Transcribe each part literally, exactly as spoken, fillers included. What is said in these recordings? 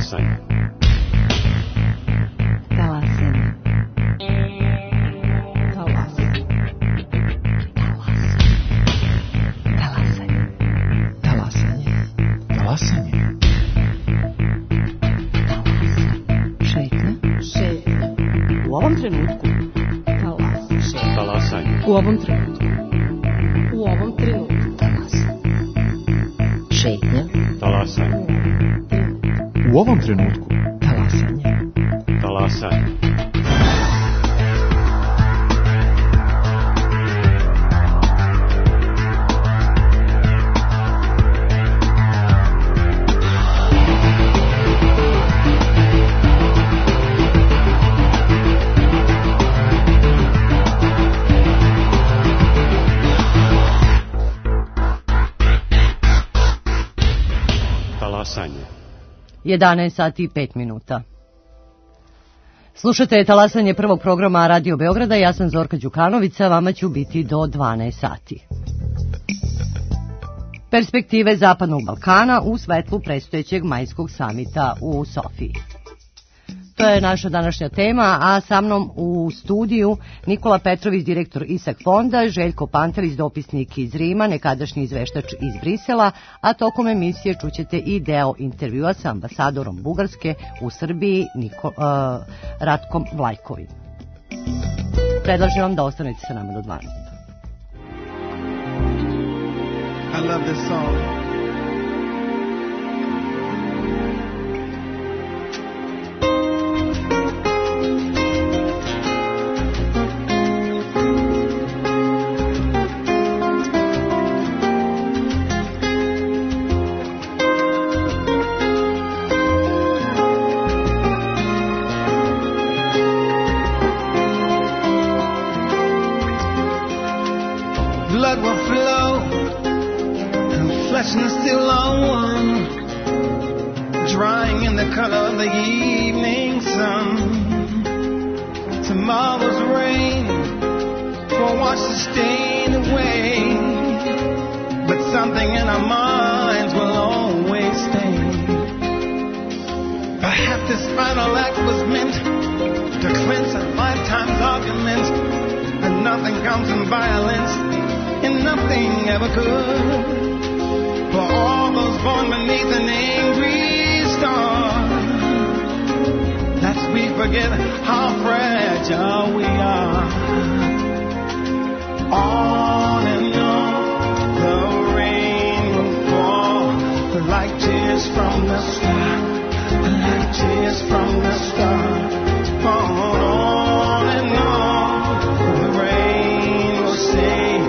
Talasanje. Talasanje. Talasanje. Talasanje. Talasanje. Talasanje. Šetnja. Šetnja. U ovom trenutku. Talasanje. Talasanje. U ovom trenutku. U ovom trenutku. Talasanje. Šetnja. Talasanje. U ovom trenutku. Talasanje. Talasanje. jedanaest sati i pet minuta. Slušate talasanje prvog programa Radio Beograda, ja sam Zorka Đukanovića, vama ću biti do dvanaest sati. Perspektive Zapadnog Balkana u svetlu predstojećeg majskog samita u Sofiji. To je naša današnja tema, a sa mnom u studiju Nikola Petrović, direktor ISAK fonda, Željko Pantelis, dopisnik iz Rima, nekadašnji izveštač iz Brisela, a tokom emisije čućete i deo intervjua sa ambasadorom Bugarske u Srbiji Niko, uh, Ratkom Vlajkovim. Predlažem vam da ostanete sa nama do dvanaest. I love this song. Blood will flow, and flesh and still on one, drying in the color of the evening sun. Tomorrow's rain will wash the stain away, but something in our minds will always stay. Perhaps this final act was meant to cleanse a lifetime's argument, and nothing comes in violence, and nothing ever could. For all those born beneath an angry star, lest we forget how fragile we are. On and on the rain will fall, like tears from the sky, like tears from the sky. On and on the rain will say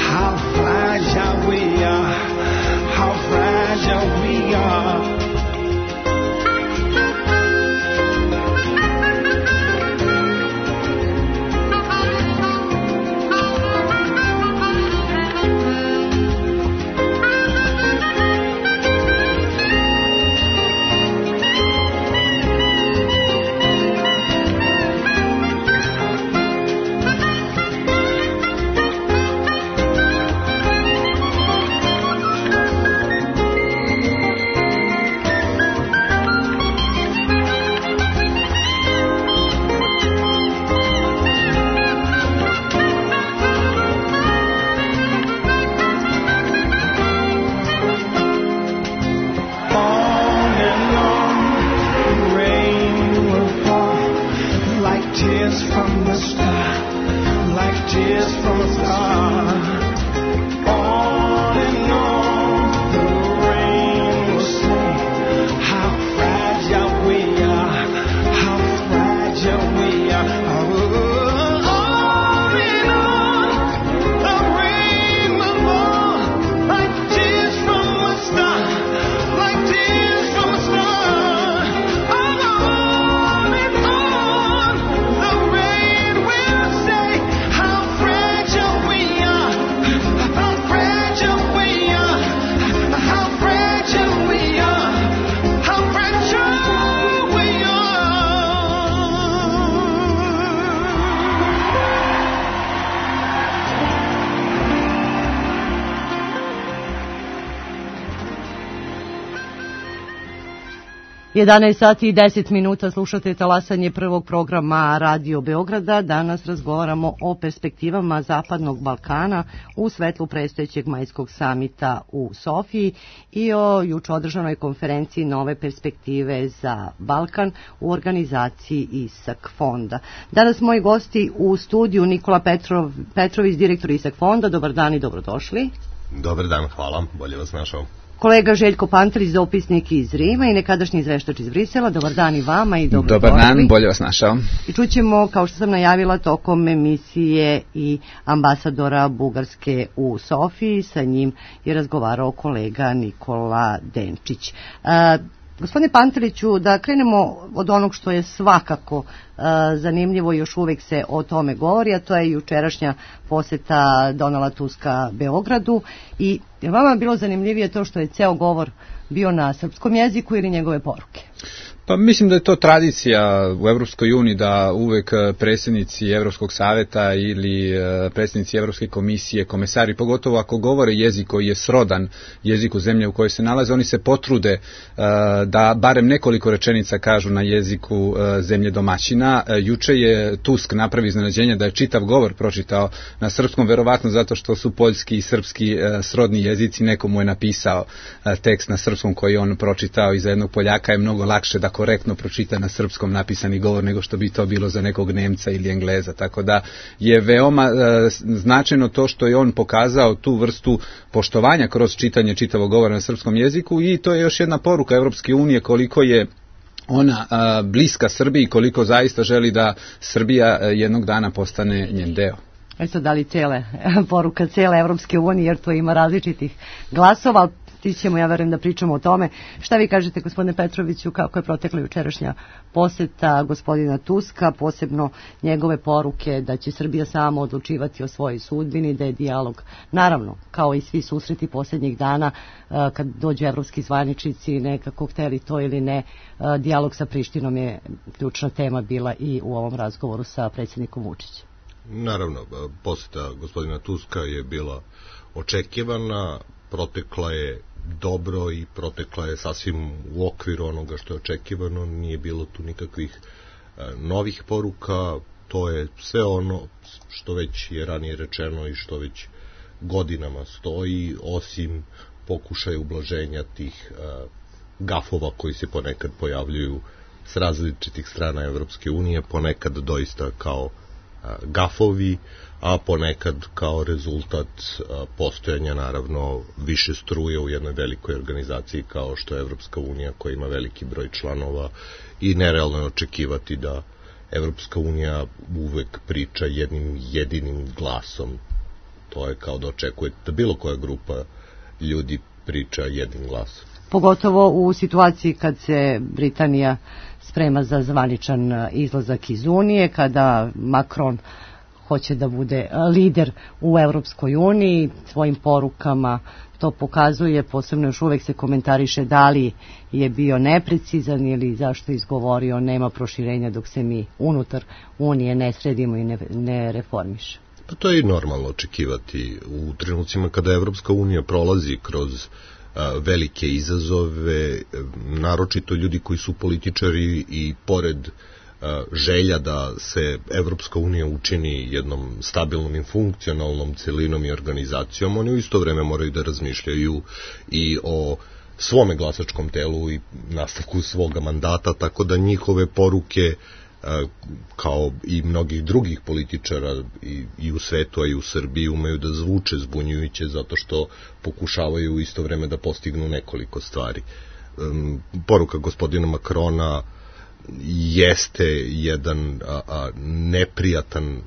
how fragile we are, how fragile we are. jedanaest sati i deset minuta, slušate talasanje prvog programa Radio Beograda. Danas razgovaramo o perspektivama Zapadnog Balkana u svetlu predstojećeg majskog samita u Sofiji i o juče održanoj konferenciji Nove perspektive za Balkan u organizaciji ISAK fonda. Danas moji gosti u studiju Nikola Petrov, Petrović, direktor ISAK fonda. Dobar dan i dobrodošli. Dobar dan, hvala, bolje vas našao. Kolega Željko Pantelić, dopisnik iz Rima i nekadašnji izveštač iz Brisela. Dobar dan i vama i dobro Dobar dan, bolje vas našao. I čućemo, kao što sam najavila, tokom emisije i ambasadora Bugarske u Sofiji. Sa njim je razgovarao kolega Nikola Denčić. Uh, Gospodine Panteliću, da krenemo od onog što je svakako uh, zanimljivo i još uvek se o tome govori, a to je jučerašnja poseta Donalda Tuska Beogradu. I je vama bilo zanimljivije to što je ceo govor bio na srpskom jeziku ili njegove poruke? Pa mislim da je to tradicija u Evropskoj uniji da uvek predsjednici Evropskog saveta ili predsjednici Evropske komisije, komesari, pogotovo ako govore jezik koji je srodan jeziku zemlje u kojoj se nalaze, oni se potrude da barem nekoliko rečenica kažu na jeziku zemlje domaćina. Juče je Tusk napravi iznenađenje da je čitav govor pročitao na srpskom, verovatno zato što su poljski i srpski srodni jezici, neko mu je napisao tekst na srpskom koji on pročitao i za jednog Poljaka je mnogo lakše da korektno pročita na srpskom napisani govor nego što bi to bilo za nekog Nemca ili Engleza, tako da je veoma e, značajno to što je on pokazao tu vrstu poštovanja kroz čitanje čitavog govora na srpskom jeziku i to je još jedna poruka Evropske unije koliko je ona a, bliska Srbiji, koliko zaista želi da Srbija jednog dana postane njen deo. E sad, da li cele, poruka cele Evropske unije, jer to ima različitih glasova, ti ćemo, ja verujem, da pričamo o tome. Šta vi kažete, gospodine Petroviću, kako je protekla jučerašnja poseta gospodina Tuska, posebno njegove poruke da će Srbija sama odlučivati o svojoj sudbini, da je dijalog, naravno, kao i svi susreti posljednjih dana, kad dođu evropski zvaničnici, nekako hteli to ili ne, dijalog sa Prištinom je ključna tema bila i u ovom razgovoru sa predsjednikom Vučićem. Naravno, poseta gospodina Tuska je bila očekivana, protekla je dobro i protekla je sasvim u okviru onoga što je očekivano, nije bilo tu nikakvih e, novih poruka, to je sve ono što već je ranije rečeno i što već godinama stoji, osim pokušaja ublaženja tih e, gafova koji se ponekad pojavljuju s različitih strana Evropske unije, ponekad doista kao e, gafovi, a ponekad kao rezultat postojanja naravno više struje u jednoj velikoj organizaciji kao što je Evropska unija koja ima veliki broj članova i nerealno je očekivati da Evropska unija uvek priča jednim jedinim glasom. To je kao da očekujete da bilo koja grupa ljudi priča jednim glasom. Pogotovo u situaciji kad se Britanija sprema za zvaničan izlazak iz Unije, kada Macron hoće da bude lider u Evropskoj uniji, svojim porukama to pokazuje, posebno još uvek se komentariše da li je bio neprecizan ili zašto izgovorio nema proširenja dok se mi unutar Unije ne sredimo i ne, ne reformiše. Pa to je i normalno očekivati u trenucima kada Evropska unija prolazi kroz a, velike izazove, naročito ljudi koji su političari i pored želja da se Evropska unija učini jednom stabilnom i funkcionalnom celinom i organizacijom, oni u isto vreme moraju da razmišljaju i o svome glasačkom telu i nastavku svoga mandata, tako da njihove poruke, kao i mnogih drugih političara i, i u svetu, a i u Srbiji, umeju da zvuče zbunjujuće zato što pokušavaju u isto vreme da postignu nekoliko stvari. Poruka gospodina Macrona jeste jedan a, a, neprijatan,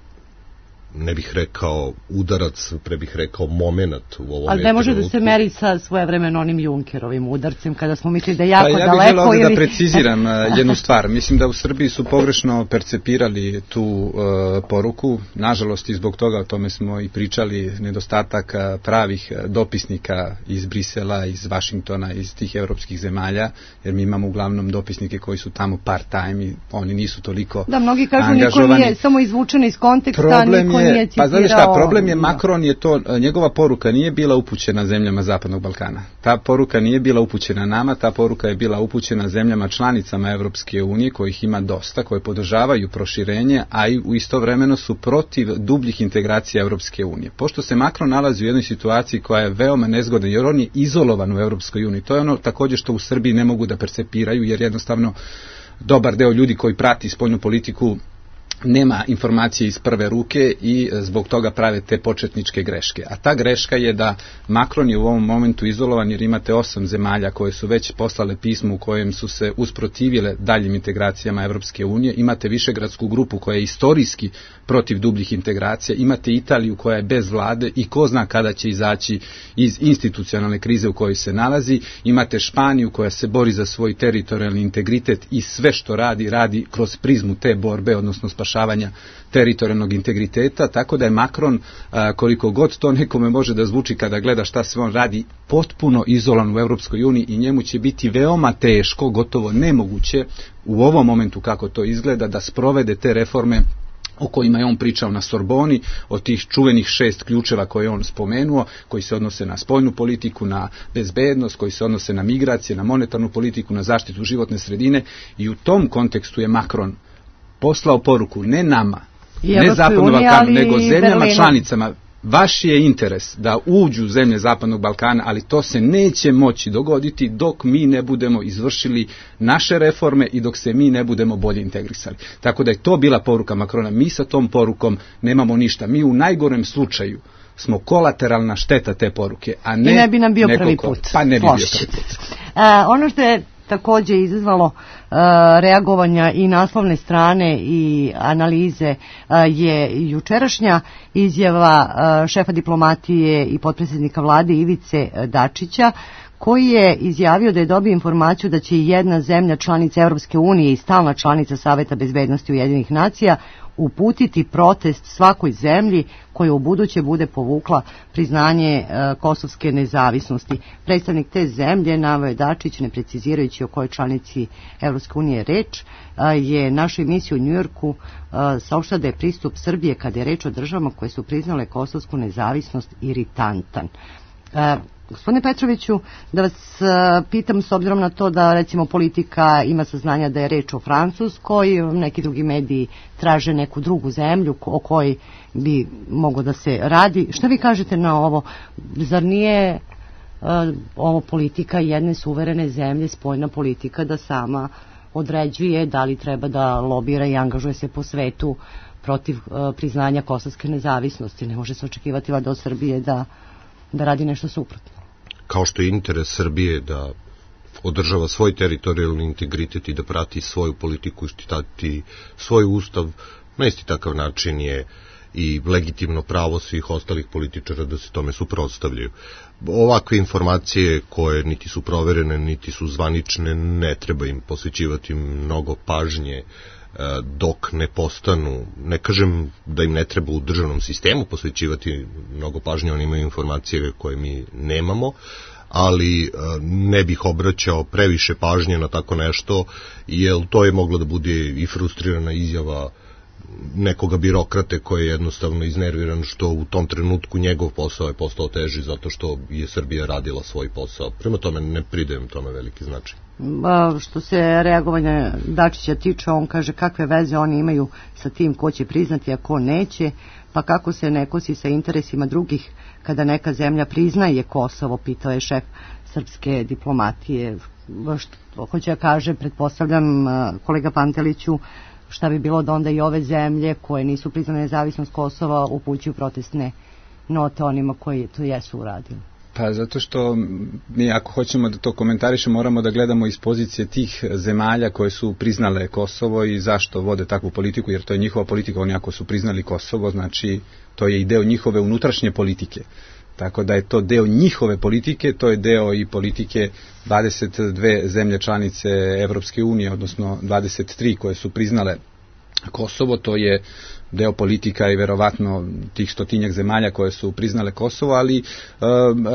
ne bih rekao udarac, pre bih rekao moment u ovom trenutku. Ali ne može da se meri sa svojevremeno onim Junkerovim udarcem, kada smo mislili da je jako daleko. Pa ja bih daleko, želeo ili... da preciziram jednu stvar. Mislim da u Srbiji su pogrešno percepirali tu uh, poruku. Nažalost, i zbog toga, o tome smo i pričali, nedostatak pravih dopisnika iz Brisela, iz Vašingtona, iz tih evropskih zemalja, jer mi imamo uglavnom dopisnike koji su tamo part-time i oni nisu toliko Da, mnogi kažu angažovani. niko nije samo izvučen iz konteksta, Problem niko je, nije citirao... Pa znate šta, problem je, Macron je to, njegova poruka nije bila upućena zemljama Zapadnog Balkana. Ta poruka nije bila upućena nama, ta poruka je bila upućena zemljama članicama Evropske unije, kojih ima dosta, koje podržavaju proširenje, a i u istovremeno su protiv dubljih integracija Evropske unije. Pošto se Macron nalazi u jednoj situaciji koja je veoma nezgodna, jer on je izolovan u Evropskoj uniji, to je ono također što u Srbiji ne mogu da percepiraju, jer jednostavno dobar deo ljudi koji prati spoljnu politiku nema informacije iz prve ruke i zbog toga prave te početničke greške. A ta greška je da Macron je u ovom momentu izolovan, jer imate osam zemalja koje su već poslale pismo u kojem su se usprotivile daljim integracijama Evropske unije. Imate Višegradsku grupu koja je istorijski protiv dubljih integracija. Imate Italiju koja je bez vlade i ko zna kada će izaći iz institucionalne krize u kojoj se nalazi. Imate Španiju koja se bori za svoj teritorijalni integritet i sve što radi, radi kroz prizmu te borbe, odnosno spašavanja teritorijalnog integriteta, tako da je Macron, koliko god to nekome može da zvuči kada gleda šta se on radi, potpuno izolovan u Evropskoj uniji i njemu će biti veoma teško, gotovo nemoguće u ovom momentu kako to izgleda, da sprovede te reforme o kojima je on pričao na Sorboni, od tih čuvenih šest ključeva koje je on spomenuo, koji se odnose na spoljnu politiku, na bezbednost, koji se odnose na migracije, na monetarnu politiku, na zaštitu životne sredine, i u tom kontekstu je Macron poslao poruku ne nama, I ne Zapadnom Balkanu, nego zemljama Berlinu. Članicama. Vaš je interes da uđu zemlje Zapadnog Balkana, ali to se neće moći dogoditi dok mi ne budemo izvršili naše reforme i dok se mi ne budemo bolje integrisali. Tako da je to bila poruka Macrona. Mi sa tom porukom nemamo ništa. Mi u najgorem slučaju smo kolateralna šteta te poruke, a ne... I ne bi nam bio prvi ko, put. Pa ne bi bio prvi put. Uh, ono što je također izazvalo uh, reagovanja i naslovne strane i analize uh, je jučerašnja izjava uh, šefa diplomatije i potpredsjednika vlade Ivice Dačića, koji je izjavio da je dobio informaciju da će jedna zemlja članica Europske unije i stalna članica Saveta bezbednosti Ujedinjenih nacija uputiti protest svakoj zemlji koja u buduće bude povukla priznanje e, kosovske nezavisnosti. Predstavnik te zemlje, naveo je Dačić, ne precizirajući o kojoj članici Evropske unije reč, e, je našoj emisiji u Njujorku e, saopštio da je pristup Srbije kada je reč o državama koje su priznale kosovsku nezavisnost iritantan. E, Gospodine Petroviću, da vas uh, pitam, s obzirom na to da recimo politika ima saznanja da je reč o Francuskoj, neki drugi mediji traže neku drugu zemlju o kojoj bi moglo da se radi. Šta vi kažete na ovo? Zar nije uh, ovo politika jedne suverene zemlje, spoljna politika, da sama određuje da li treba da lobira i angažuje se po svetu protiv uh, priznanja kosovske nezavisnosti? Ne može se očekivati valjda od Srbije da, da radi nešto suprotno. Kao što je interes Srbije da održava svoj teritorijalni integritet i da prati svoju politiku i štitati svoj ustav, na isti takav način je i legitimno pravo svih ostalih političara da se tome suprotstavljaju. Ovakve informacije koje niti su proverene, niti su zvanične, ne treba im posvećivati mnogo pažnje dok ne postanu, ne kažem da im ne treba u državnom sistemu posvećivati mnogo pažnje, oni imaju informacije koje mi nemamo, ali ne bih obraćao previše pažnje na tako nešto, jer to je moglo da bude i frustrirana izjava nekoga birokrate koji je jednostavno iznerviran što u tom trenutku njegov posao je postao teži zato što je Srbija radila svoj posao. Prema tome ne pridajem tome veliki značaj. Što se reagovanja Dačića tiče, on kaže kakve veze oni imaju sa tim ko će priznati, a ko neće, pa kako se ne kosi sa interesima drugih kada neka zemlja priznaje Kosovo, pitao je šef srpske diplomatije. Što hoće da kaže, pretpostavljam, kolega Panteliću, šta bi bilo da onda i ove zemlje koje nisu priznane nezavisnost Kosova upućuju protestne note onima koji to jesu uradili? Pa zato što mi ako hoćemo da to komentarišemo moramo da gledamo iz pozicije tih zemalja koje su priznale Kosovo i zašto vode takvu politiku, jer to je njihova politika. Oni ako su priznali Kosovo, znači to je i deo njihove unutrašnje politike. Tako da je to deo njihove politike, to je deo i politike dvadeset dve zemlje članice Evropske unije, odnosno dvadeset tri koje su priznale Kosovo, to je deo politika i verovatno tih stotinjak zemalja koje su priznale Kosovo, ali e,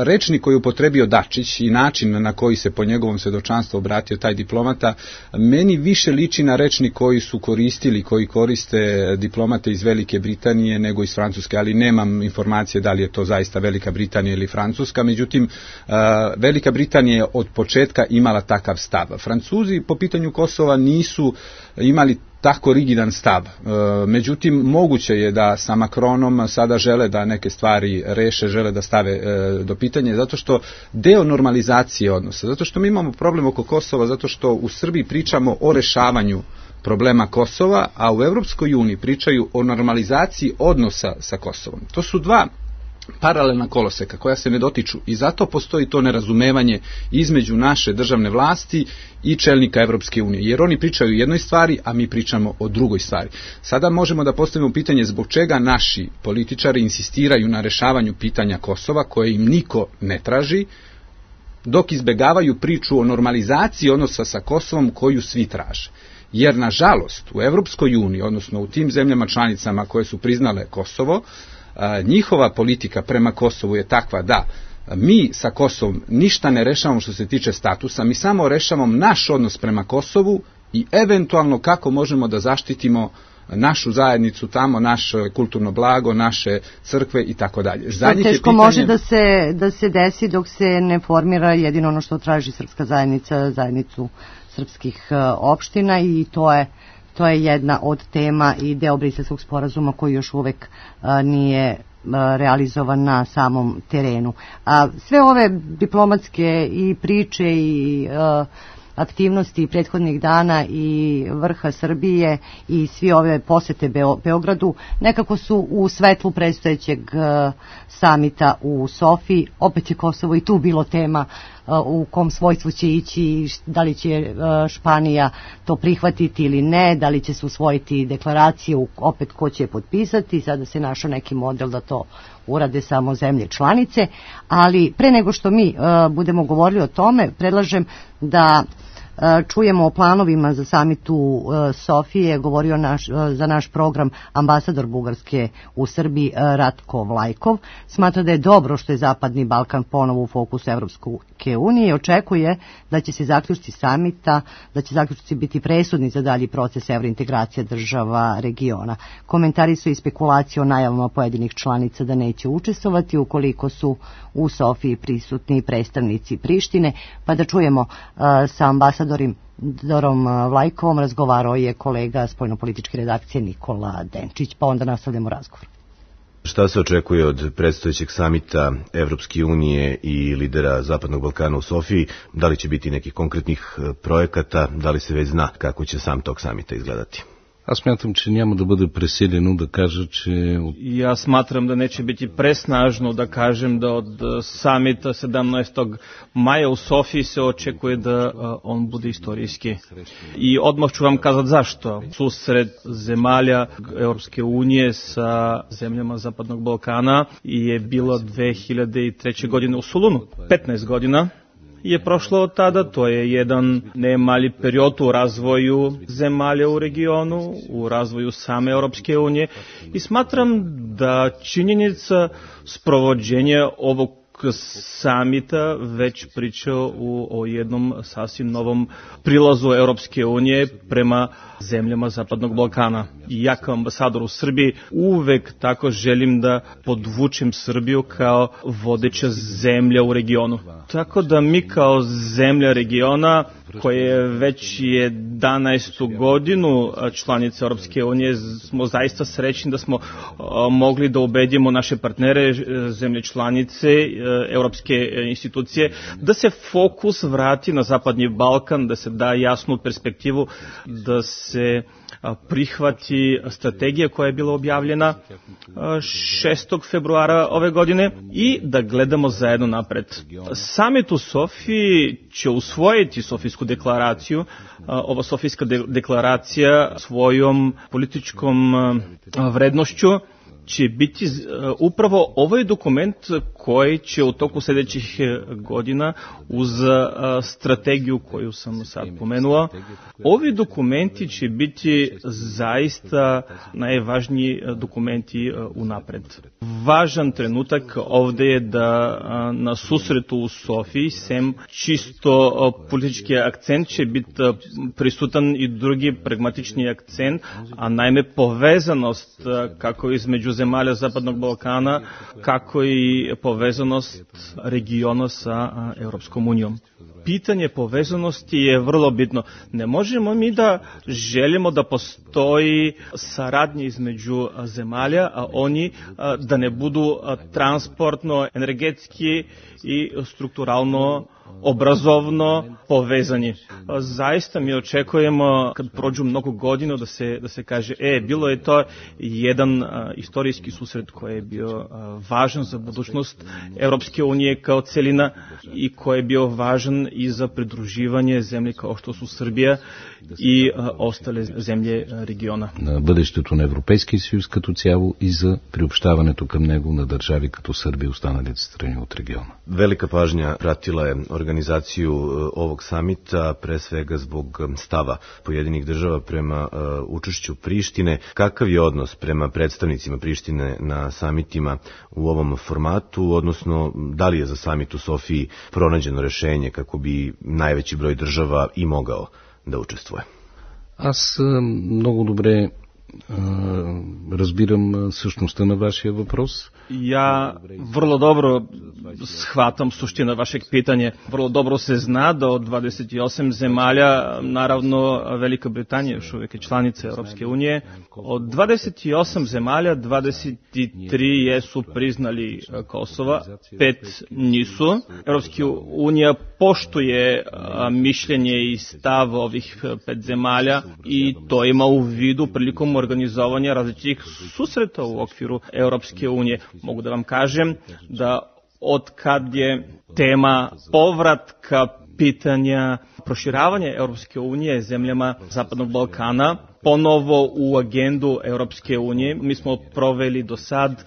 rečnik koji upotrebio Dačić i način na koji se po njegovom svedočanstvu obratio taj diplomata, meni više liči na rečnik koji su koristili, koji koriste diplomate iz Velike Britanije nego iz Francuske, ali nemam informacije da li je to zaista Velika Britanija ili Francuska, međutim e, Velika Britanija je od početka imala takav stav. Francuzi po pitanju Kosova nisu imali tako rigidan stav. E, međutim, moguće je da sa Macronom sada žele da neke stvari reše, žele da stave e, do pitanja, zato što deo normalizacije odnosa, zato što mi imamo problem oko Kosova, zato što u Srbiji pričamo o rešavanju problema Kosova, a u Evropskoj uniji pričaju o normalizaciji odnosa sa Kosovom. To su dva paralelna koloseka koja se ne dotiču i zato postoji to nerazumevanje između naše državne vlasti i čelnika Evropske unije, jer oni pričaju o jednoj stvari, a mi pričamo o drugoj stvari. Sada možemo da postavimo pitanje zbog čega naši političari insistiraju na rešavanju pitanja Kosova, koje im niko ne traži, dok izbegavaju priču o normalizaciji odnosa sa Kosovom koju svi traže. Jer, nažalost, u Evropskoj uniji, odnosno u tim zemljama članicama koje su priznale Kosovo, njihova politika prema Kosovu je takva da mi sa Kosovom ništa ne rešavamo što se tiče statusa, mi samo rešavamo naš odnos prema Kosovu i eventualno kako možemo da zaštitimo našu zajednicu tamo, naše kulturno blago, naše crkve i tako dalje. Što teško pitanje... može da se, da se desi dok se ne formira jedino ono što traži srpska zajednica, zajednicu srpskih opština, i to je To je jedna od tema i deo Briselskog sporazuma koji još uvek a, nije a, realizovan na samom terenu. A, sve ove diplomatske i priče i a, aktivnosti prethodnih dana i vrha Srbije i svi ove posete Beo, Beogradu nekako su u svetlu predstojećeg uh, samita u Sofiji. Opet je Kosovo i tu bilo tema uh, u kom svojstvu će ići, da li će uh, Španija to prihvatiti ili ne, da li će se usvojiti deklaraciju, opet ko će je potpisati. Sada se našao neki model da to urade samo zemlje članice, ali pre nego što mi uh, budemo govorili o tome, predlažem da čujemo o planovima za samit u Sofije, govorio naš, za naš program ambasador Bugarske u Srbiji Ratko Vlajkov. Smatra da je dobro što je Zapadni Balkan ponovo u fokusu Evropske unije i očekuje da će se zaključci samita, da će zaključci biti presudni za dalji proces evrointegracije država regiona. Komentari su i spekulacije o najavama pojedinih članica da neće učestvovati ukoliko su u Sofiji prisutni predstavnici Prištine, pa da čujemo uh, sa ambasadorom Dorom Vlajkovom razgovarao je kolega spoljnopolitičke redakcije Nikola Denčić, pa onda nastavljamo razgovor. Šta se očekuje od predstojećeg samita Evropske unije i lidera Zapadnog Balkana u Sofiji? Da li će biti nekih konkretnih projekata? Da li se već zna kako će sam tog samita izgledati? Аз смятам, че няма да бъде преселено да кажа, че... И аз сматрам да neće biti presnažno da kažem da od samita sedamnaestog maja u Sofiji se očekuje da on bude istorijski. I odmah ću vam kazati zašto. Susret zemalja Europske unije sa zemljama Zapadnog Balkana je bilo dve hiljade treće. godine u Solunu. petnaest godina je prošlo od tada, to je jedan ne mali period u razvoju zemalja u regionu, u razvoju same Europske unije i smatram da činjenica sprovođenja ovog samita već pričao u, o jednom sasvim novom prilazu Europske unije prema zemljama Zapadnog Balkana. I ja kao ambasador u Srbiji uvek tako želim da podvučem Srbiju kao vodeća zemlja u regionu. Tako da mi kao zemlja regiona koje već jedanaestu godinu članice Europske unije smo zaista srećni da smo mogli da ubedimo naše partnere, zemlje članice, europske institucije, da se fokus vrati na Zapadni Balkan, da se da jasnu perspektivu, da se prihvati strategija koja je bila objavljena šestog februara ove godine i da gledamo zajedno napred. Samit u Sofiji će usvojiti Sofijsku deklaraciju. Ova Sofijska de- deklaracija svojom političkom vrednošću će biti upravo ovaj dokument koji će u toku sljedećih godina uz strategiju koju sam sad pomenuo, ovi dokumenti će biti zaista najvažniji dokumenti unapred. Važan trenutak ovde je da na susretu u Sofiji, sem čisto politički akcent, će biti prisutan i drugi pragmatični akcent, a najme povezanost kako između zemalja Zapadnog Balkana, kako i povezanost regiona sa Europskom unijom. Pitanje povezanosti je vrlo bitno. Ne možemo mi da želimo da postoji saradnja između zemalja, a oni da ne budu transportno, energetski i strukturalno obrazovno povezani. Zaista mi očekujemo kad prođu mnogo godina da se da se kaže e bilo je to jedan a, istorijski susret koji je bio a, važan za budućnost Europske unije kao celina i koji je bio važan i za pridruživanje zemlje kao što su Srbija и а, остали землje региона. На бъдещето на Европейския съюз като цяло и за приобщаването към него на държави като Сърбия и останалите страни от региона. Velika pažnja pratila je organizaciju ovog samita, pre svega zbog stava pojedinih država prema uh, učešću Prištine. Kakav je odnos prema predstavnicima Prištine na samitima u ovom formatu, odnosno da li je za samit u Sofiji pronađeno rešenje kako bi najveći broj država i mogao да участвува? Аз много добре разбирам същността на вашия въпрос. Ja vrlo dobro shvatam suština vašeg pitanja. Vrlo dobro se zna da od dvadeset osam zemalja, naravno Velika Britanija još uvijek je članica Europske unije, od dvadeset osam zemalja dvadeset tri jesu priznali Kosova, pet nisu. Europska unija poštuje mišljenje i stav ovih pet zemalja i to ima u vidu prilikom organizovanja različitih susreta u okviru Europske unije. Mogu da vam kažem da od kad je tema povratka pitanja proširavanja Europske unije zemljama Zapadnog Balkana ponovo u agendu Europske unije. Mi smo proveli do sad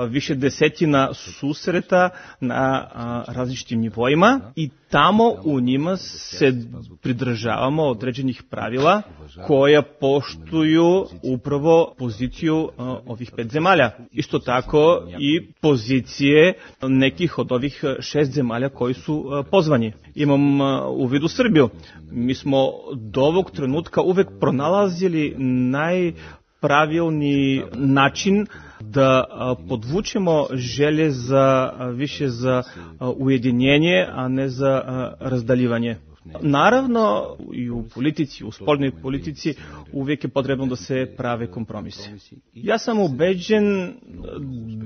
više desetina susreta na različitim nivoima i tamo u njima se pridržavamo određenih pravila koja poštuju upravo poziciju ovih pet zemalja. Isto tako i pozicije nekih od ovih šest zemalja koji su pozvani. Imam u vidu Srbiju. Mi smo do ovog trenutka uvek pronalazili najpravilni način da podvučemo želje za više za ujedinjenje, a ne za razdaljivanje. Naravno, i u politici, u spoljnoj politici uvijek je potrebno da se prave kompromise. Ja sam ubeđen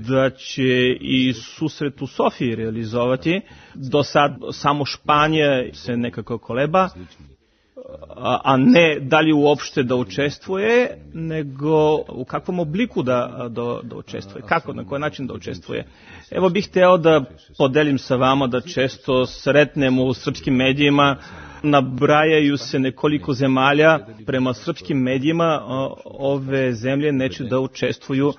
da će i susret u Sofiji realizovati. Do sad samo Španija se nekako koleba, a ne da li uopšte da učestvuje, nego u kakvom obliku da, da, da učestvuje, kako, na koji način da učestvuje. Evo bih hteo da podelim sa vama da često sretnemo u srpskim medijima, nabrajaju se nekoliko zemalja, prema srpskim medijima ove zemlje neće da učestvuju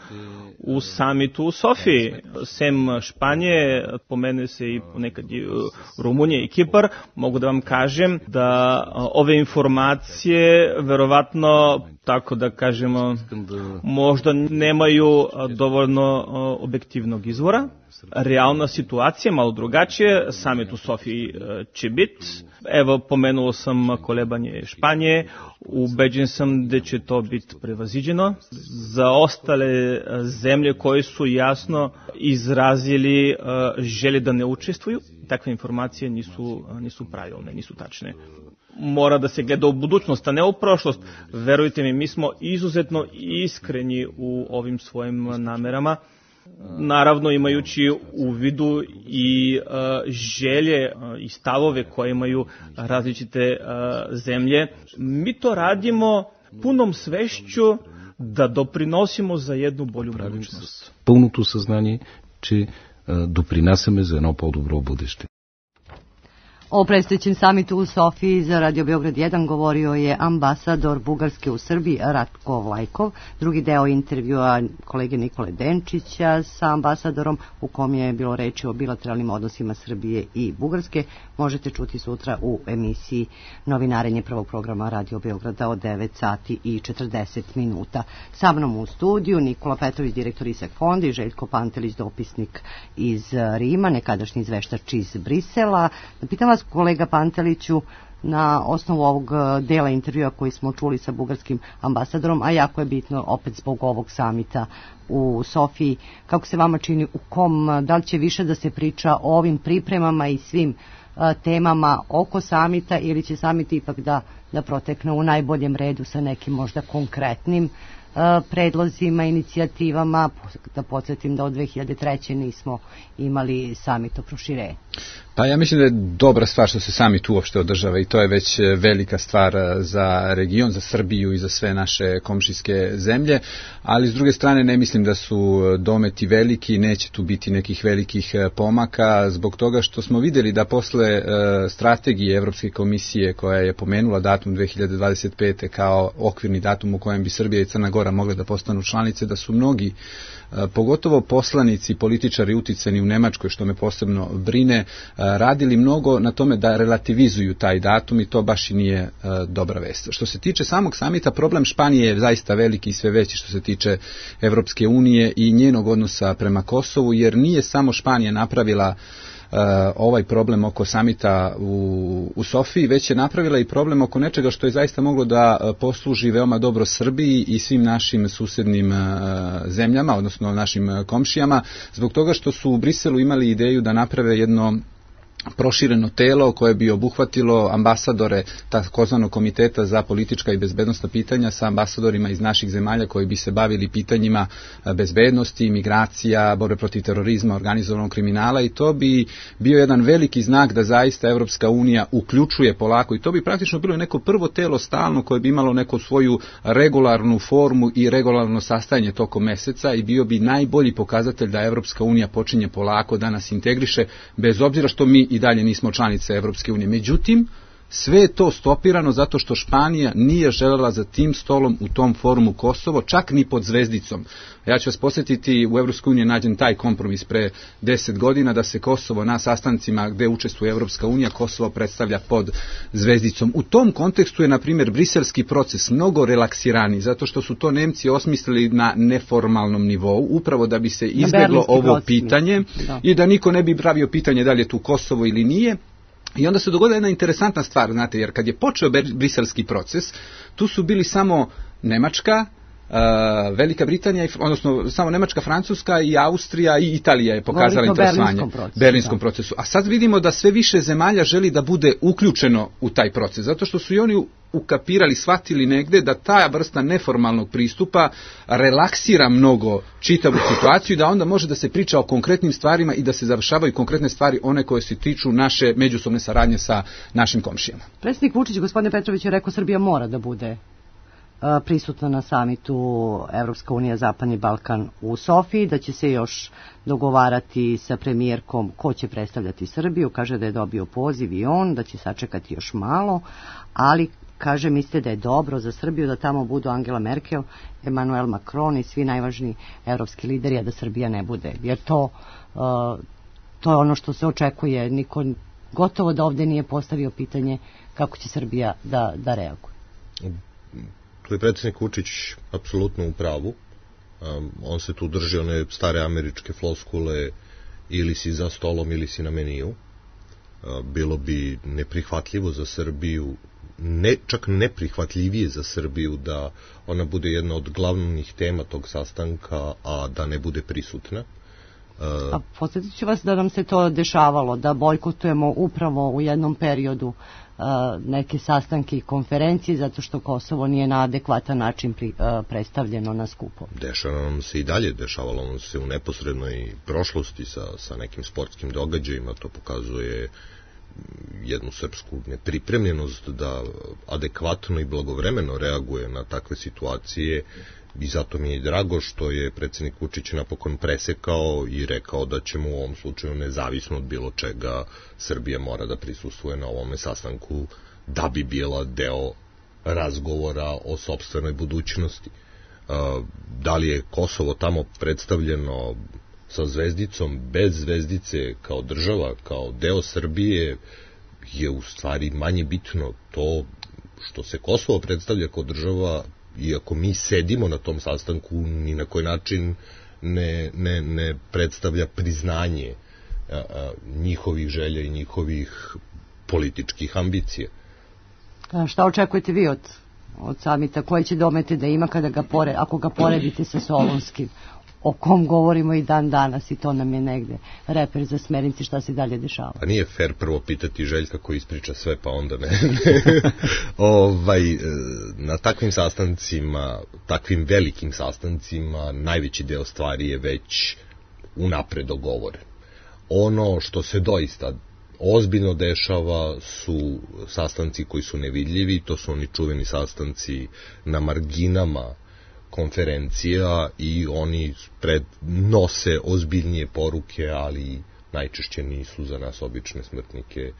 u samitu u Sofiji. Sem Španije, pomene se i ponekad i Rumunija i Kipar, mogu da vam kažem da ove informacije verovatno, tako da kažemo, možda nemaju dovoljno objektivnog izvora. Realna situacija malo drugačije, samit u Sofiji će biti. Evo, pomenuo sam kolebanje Španije, ubeđen sam da će to biti prevaziđeno. Za ostale zemlje koje su jasno izrazili želje da ne učestvuju, takve informacije nisu, nisu pravilne, nisu tačne. Mora da se gleda u budućnost, a ne u prošlost. Verujte mi, mi smo izuzetno iskreni u ovim svojim namerama. Naravno, imajući u vidu i uh, želje uh, i stavove koje imaju različite uh, zemlje, mi to radimo punom svešću da doprinosimo за jednu bolju budućnost. Пълното съзнание, че допринасяме за едно по-добро бъдеще. O predstojećem samitu u Sofiji za Radio Beograd jedan govorio je ambasador Bugarske u Srbiji Ratko Vlajkov. Drugi deo intervjua kolege Nikole Denčića sa ambasadorom u kom je bilo reči o bilateralnim odnosima Srbije i Bugarske možete čuti sutra u emisiji Novinarenje prvog programa Radio Beograda od devet sati i četrdeset minuta. Sa mnom u studiju Nikola Petrović, direktor Isak fonda, i Željko Pantelić, dopisnik iz Rima, nekadašnji izveštač iz Brisela. Pitam vas, kolega Panteliću, na osnovu ovog dela intervjua koji smo čuli sa bugarskim ambasadorom, a jako je bitno opet zbog ovog samita u Sofiji, kako se vama čini, u kom, da li će više da se priča o ovim pripremama i svim a, temama oko samita, ili će samit ipak da, da protekne u najboljem redu sa nekim možda konkretnim a, predlozima, inicijativama? Da podsjetim da od dve hiljade treće nismo imali samit o proširenju. Pa ja mislim da je dobra stvar što se samit uopšte održava i to je već velika stvar za region, za Srbiju i za sve naše komšijske zemlje, ali s druge strane ne mislim da su dometi veliki, neće tu biti nekih velikih pomaka zbog toga što smo vidjeli da posle strategije Evropske komisije koja je pomenula datum dve hiljade dvadeset pete kao okvirni datum u kojem bi Srbija i Crna Gora mogle da postanu članice, da su mnogi, pogotovo poslanici, političari uticani u Nemačkoj, što me posebno brine, radili mnogo na tome da relativizuju taj datum i to baš i nije e, dobra vest. Što se tiče samog samita, problem Španije je zaista veliki i sve veći što se tiče Evropske unije i njenog odnosa prema Kosovu, jer nije samo Španija napravila Uh, ovaj problem oko samita u, u Sofiji, već je napravila i problem oko nečega što je zaista moglo da uh, posluži veoma dobro Srbiji i svim našim susednim uh, zemljama, odnosno našim uh, komšijama, zbog toga što su u Briselu imali ideju da naprave jedno prošireno telo koje bi obuhvatilo ambasadore takozvanog komiteta za politička i bezbednosna pitanja sa ambasadorima iz naših zemalja koji bi se bavili pitanjima bezbednosti, migracija, borbe protiv terorizma, organizovanog kriminala, i to bi bio jedan veliki znak da zaista Evropska unija uključuje polako, i to bi praktično bilo neko prvo telo stalno koje bi imalo neku svoju regularnu formu i regularno sastajanje tokom meseca i bio bi najbolji pokazatelj da Evropska unija počinje polako da nas integriše, bez obzira što mi i dalje nismo članice Evropske unije. Međutim, sve je to stopirano zato što Španija nije želela za tim stolom u tom forumu Kosovo, čak ni pod zvezdicom. Ja ću vas posjetiti, u Evropskoj uniji je nađen taj kompromis pre deset godina da se Kosovo na sastancima gde učestvuje Evropska unija, Kosovo predstavlja pod zvezdicom. U tom kontekstu je, na primjer, briselski proces mnogo relaksirani, zato što su to Nemci osmislili na neformalnom nivou, upravo da bi se izbjeglo ovo proces, pitanje da. I da niko ne bi pravio pitanje da li je tu Kosovo ili nije. I onda se dogodila jedna interesantna stvar, znate, jer kad je počeo briselski proces, tu su bili samo Nemačka, Uh, Velika Britanija, odnosno samo Nemačka, Francuska i Austrija i Italija je pokazala interesovanje procesu, berlinskom procesu. A sad vidimo da sve više zemalja želi da bude uključeno u taj proces, zato što su i oni ukapirali, shvatili negde da ta vrsta neformalnog pristupa relaksira mnogo čitavu situaciju, da onda može da se priča o konkretnim stvarima i da se završavaju konkretne stvari, one koje se tiču naše međusobne saradnje sa našim komšijama. Predsjednik Vučić, gospodine Petrović, je rekao Srbija mora da bude prisutna na samitu Evropska unija Zapadni Balkan u Sofiji, da će se još dogovarati sa premijerkom ko će predstavljati Srbiju. Kaže da je dobio poziv i on, da će sačekati još malo, ali kaže, mislite da je dobro za Srbiju da tamo budu Angela Merkel, Emmanuel Macron i svi najvažniji evropski lideri, a da Srbija ne bude. Jer to, uh, to je ono što se očekuje. Niko gotovo da ovde nije postavio pitanje kako će Srbija da, da reaguje. Tu je predsjednik Vučić apsolutno u pravu. Um, on se tu drži one stare američke floskule ili si za stolom ili si na meniju. Uh, bilo bi neprihvatljivo za Srbiju, ne, čak neprihvatljivije za Srbiju da ona bude jedna od glavnih tema tog sastanka, a da ne bude prisutna. Uh, a podsjetit ću vas da nam se to dešavalo, da bojkotujemo upravo u jednom periodu neke sastanke i konferencije zato što Kosovo nije na adekvatan način pri, uh, predstavljeno na skupu. Dešava nam se i dalje, dešavalo nam se u neposrednoj prošlosti sa, sa nekim sportskim događajima, to pokazuje jednu srpsku nepripremljenost da adekvatno i blagovremeno reaguje na takve situacije, i zato mi je drago što je predsjednik Vučić napokon presekao i rekao da ćemo u ovom slučaju, nezavisno od bilo čega, Srbija mora da prisustvuje na ovome sastanku da bi bila deo razgovora o sopstvenoj budućnosti. Da li je Kosovo tamo predstavljeno sa zvezdicom, bez zvezdice, kao država, kao deo Srbije, je u stvari manje bitno. To što se Kosovo predstavlja kao država, iako mi sedimo na tom sastanku, ni na koji način ne, ne, ne predstavlja priznanje a, a, njihovih želja i njihovih političkih ambicija. A šta očekujete vi od, od samita? Koje će domete da ima kada ga pore, ako ga poredite sa Solonskim, o kom govorimo i dan danas, i to nam je negde reper za smernici šta se dalje dešava? A nije fair prvo pitati Željka koji ispriča sve, pa onda ne. ne. ovaj, na takvim sastancima, takvim velikim sastancima, najveći deo stvari je već unapred dogovoren. Ono što se doista ozbiljno dešava su sastanci koji su nevidljivi, to su oni čuveni sastanci na marginama konferencija, i oni pred nose ozbiljnije poruke, ali najčešće nisu za nas obične smrtnike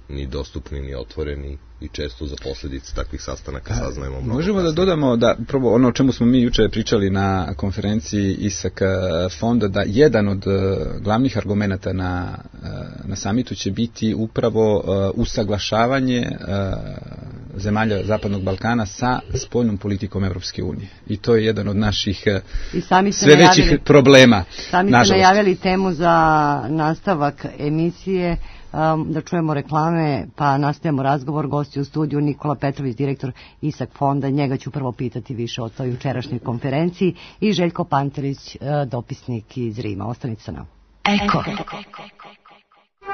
ni dostupni, ni otvoreni, i često za posljedice takvih sastanaka saznajemo mnogo. Možemo da dodamo da prvo ono o čemu smo mi juče pričali na konferenciji ISAK fonda, da jedan od glavnih argumenata na, na samitu će biti upravo usaglašavanje zemalja Zapadnog Balkana sa spoljnom politikom Evropske unije. I to je jedan od naših sve većih najavili, problema. Sami ste najavili temu za nastavak emisije, um, da čujemo reklame, pa nastavljamo razgovor. Gosti u studiju Nikola Petrović, direktor ISAK fonda, njega ću prvo pitati više o toj jučerašnjoj konferenciji, i Željko Pantelić, dopisnik iz Rima. Ostanite sa nama. Eko.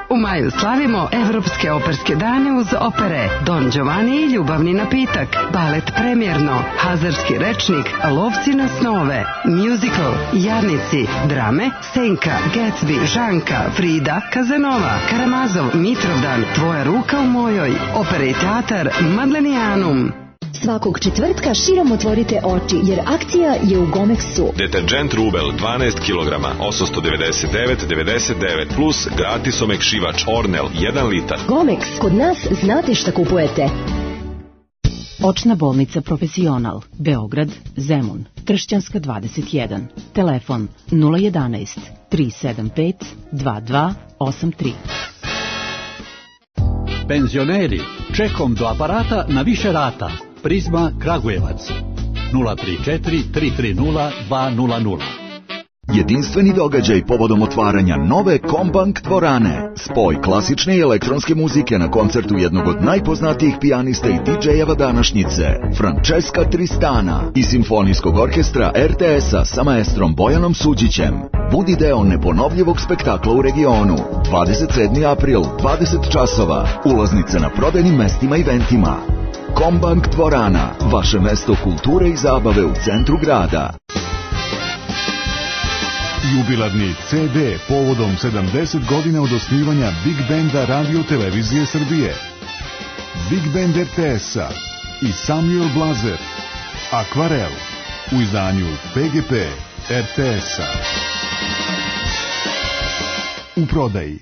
U maju slavimo Evropske operske dane uz opere Don Giovanni i Ljubavni napitak, balet Premjerno, Hazarski rečnik, Lovci na snove, musical, Jarnici, drame Senka, Gatsby, Žanka, Frida, Kazanova, Karamazov, Mitrovdan, Tvoja ruka u mojoj, opera i teatar Madlenianum. Svakog četvrtka širom otvorite oči, jer akcija je u Gomexu. Deterđent Rubel dvanaest kilograma, osamsto devedeset devet devedeset devet plus gratis omekšivač Ornel jedan litar. Gomex, kod nas znate šta kupujete. Očna bolnica Profesional, Beograd, Zemun, Kršćanska dvadeset jedan. Telefon nula jedanaest tri sedam pet dva dva osam tri. Penzioneri, čekom do aparata na više rata. Prizma Kragujevac nula tri četiri tri tri nula dva nula nula. Jedinstveni događaj povodom otvaranja nove Kombank dvorane. Spoj klasične i elektronske muzike na koncertu jednog od najpoznatijih pijanista i didžejeva današnjice, Francesca Tristana, i simfonijskog orkestra er te es-a sa maestrom Bojanom Suđićem. Budi deo neponovljivog spektakla u regionu. dvadeset sedmi april, dvadeset časova. Ulaznice na prodajnim mestima i eventima. Kombank dvorana, vaše mesto kulture i zabave u centru grada. Jubilarni ce de povodom sedamdeset godina od osnivanja Big Banda Radio Televizije Srbije. Big Band er te es-a i Samuel Blazer, Akvarel, u izdanju pe ge pe er te es-a. U prodaji.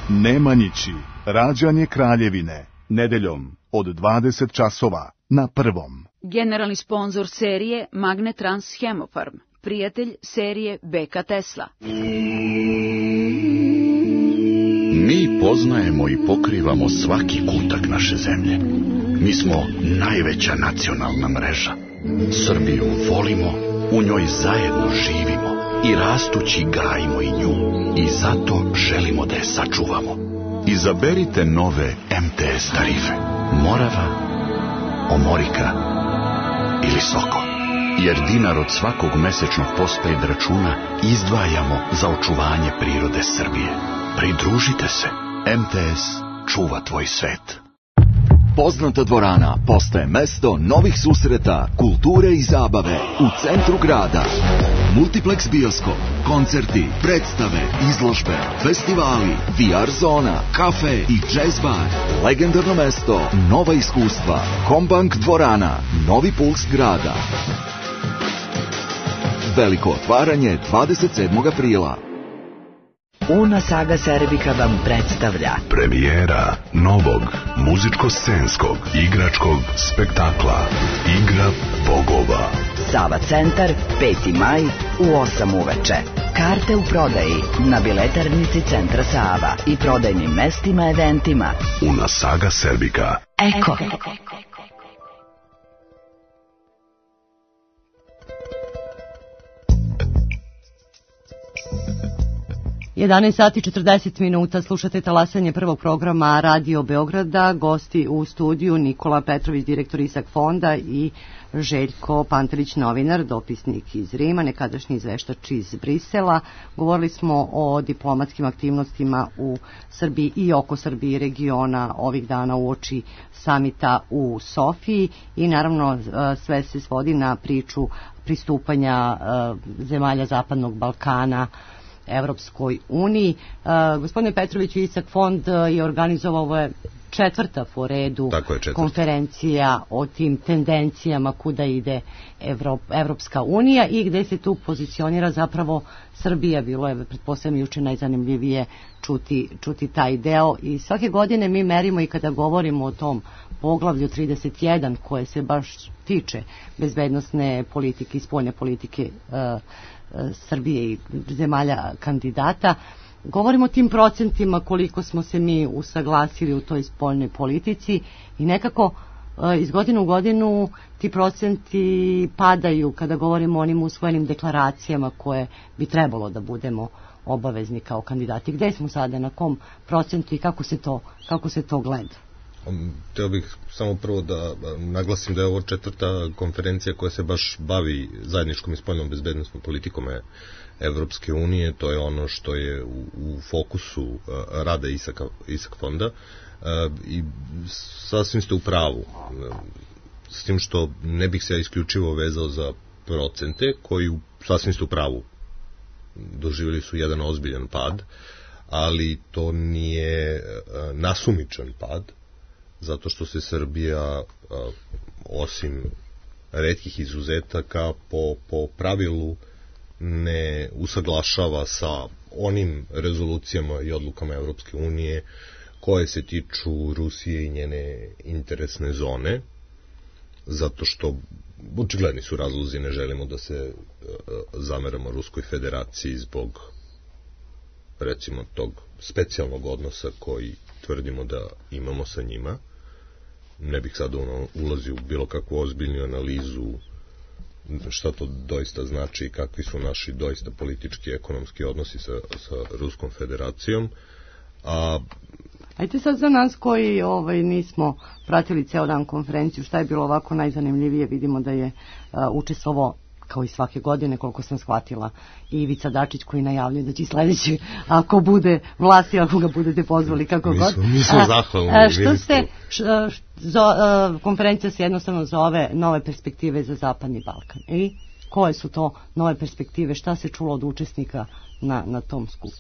Nemanjići, rađanje Kraljevine, nedeljom od dvadeset časova na Prvom. Generalni sponzor serije Magnetrans Hemofarm, prijatelj serije be ka Tesla. Mi poznajemo i pokrivamo svaki kutak naše zemlje. Mi smo najveća nacionalna mreža. Srbiju volimo, u njoj zajedno živimo i rastući gajimo i nju. I zato želimo da je sačuvamo. Izaberite nove em te es tarife. Morava, Omorika ili Soko. Jer dinar od svakog mesečnog postpaid računa izdvajamo za očuvanje prirode Srbije. Pridružite se. em te es čuva tvoj svet. Poznata dvorana postaje mesto novih susreta, kulture i zabave u centru grada. Multiplex bioskop, koncerti, predstave, izložbe, festivali, V R zona, kafe i jazz bar. Legendarno mesto, nova iskustva. Combank dvorana, novi puls grada. Veliko otvaranje dvadeset sedmog aprila. Una Saga Serbika vam predstavlja premijera novog muzičko-scenskog igračkog spektakla Igra bogova. Sava centar, peti maj u osam uveče. Karte u prodaji na biletarnici Centra Sava i prodajnim mestima eventima. Una Saga Serbika. Eko. jedanaest sati četrdeset minuta, slušate talasanje prvog programa Radio Beograda, gosti u studiju Nikola Petrović, direktor Isak fonda i Željko Pantelić, novinar, dopisnik iz Rima, nekadašnji izveštač iz Brisela. Govorili smo o diplomatskim aktivnostima u Srbiji i oko Srbije regiona ovih dana uoči samita u Sofiji i naravno sve se svodi na priču pristupanja zemalja Zapadnog Balkana Evropskoj uniji. Uh, gospodine Petrović, Isak fond je organizovao, ovo je četvrta po redu konferencija o tim tendencijama kuda ide Evrop, Evropska unija i gde se tu pozicionira zapravo Srbija. Bilo je, pretpostavljam, juče najzanimljivije čuti, čuti taj deo i svake godine mi merimo i kada govorimo o tom poglavlju trideset jedan koje se baš tiče bezbednosne politike i spoljne politike uh, Srbije i zemalja kandidata. Govorimo o tim procentima koliko smo se mi usaglasili u toj spoljnoj politici i nekako iz godine u godinu ti procenti padaju kada govorimo o onim usvojenim deklaracijama koje bi trebalo da budemo obavezni kao kandidati. Gde smo sada, na kom procentu i kako se to, kako se to gleda? Htio bih samo prvo da naglasim da je ovo četvrta konferencija koja se baš bavi zajedničkom i spoljnom bezbednosnom politikom Evropske unije. To je ono što je u, u fokusu rada Isaka, Isak fonda i sasvim ste u pravu, s tim što ne bih se ja isključivo vezao za procente koji sasvim ste u pravu doživjeli su jedan ozbiljan pad, ali to nije nasumičan pad, zato što se Srbija, osim retkih izuzetaka, po, po pravilu ne usaglašava sa onim rezolucijama i odlukama Evropske unije koje se tiču Rusije i njene interesne zone, zato što očigledni su razlozi, ne želimo da se zameramo Ruskoj federaciji zbog, recimo, tog specijalnog odnosa koji tvrdimo da imamo sa njima. Ne bih sada ulazio u bilo kakvu ozbiljnu analizu šta to doista znači i kakvi su naši doista politički i ekonomski odnosi sa, sa Ruskom federacijom. A ajte sad za nas koji ovaj, nismo pratili ceo dan konferenciju, šta je bilo ovako najzanimljivije? Vidimo da je uh, učestvovao, kao i svake godine, koliko sam shvatila, i Ivica Dačić koji najavljuje da će sledeći, ako bude vlasti, ako ga budete pozvali, kako mi god. Smo, mi smo zahvalni. A, što ste, š, zo, a, konferencija se jednostavno zove Nove perspektive za Zapadni Balkan. I koje su to nove perspektive? Šta se čulo od učesnika na, na tom skupu?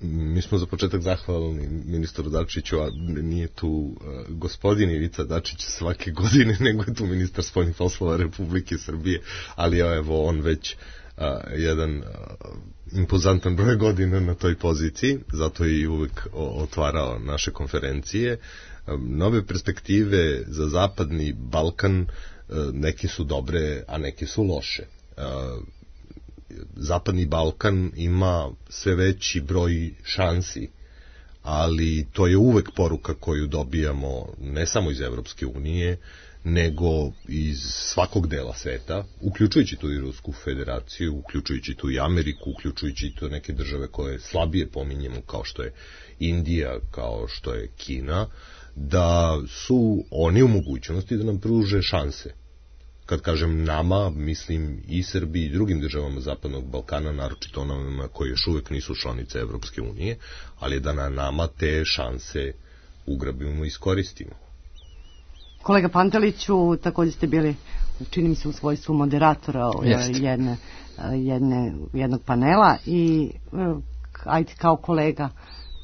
Mi smo za početak zahvalni ministru Dačiću, a nije tu uh, gospodin Ivica Dačić svake godine, nego je tu ministar spoljnih poslova Republike Srbije, ali evo on već uh, jedan uh, impozantan broj godina na toj poziciji, zato je i uvek otvarao naše konferencije. Um, nove perspektive za Zapadni Balkan, uh, neke su dobre, a neke su loše. Uh, Zapadni Balkan ima sve veći broj šansi, ali to je uvek poruka koju dobijamo ne samo iz Evropske unije, nego iz svakog dela sveta, uključujući tu i Rusku federaciju, uključujući tu i Ameriku, uključujući tu neke države koje slabije pominjemo, kao što je Indija, kao što je Kina, da su oni u mogućnosti da nam pruže šanse. Kad kažem nama, mislim i Srbiji i drugim državama Zapadnog Balkana, naročito onima koji još uvek nisu članice Evropske unije, ali da na nama te šanse ugrabimo i iskoristimo. Kolega Panteliću, također ste bili, čini mi se, u svojstvu moderatora jedne, jedne, jednog panela i ajde kao kolega,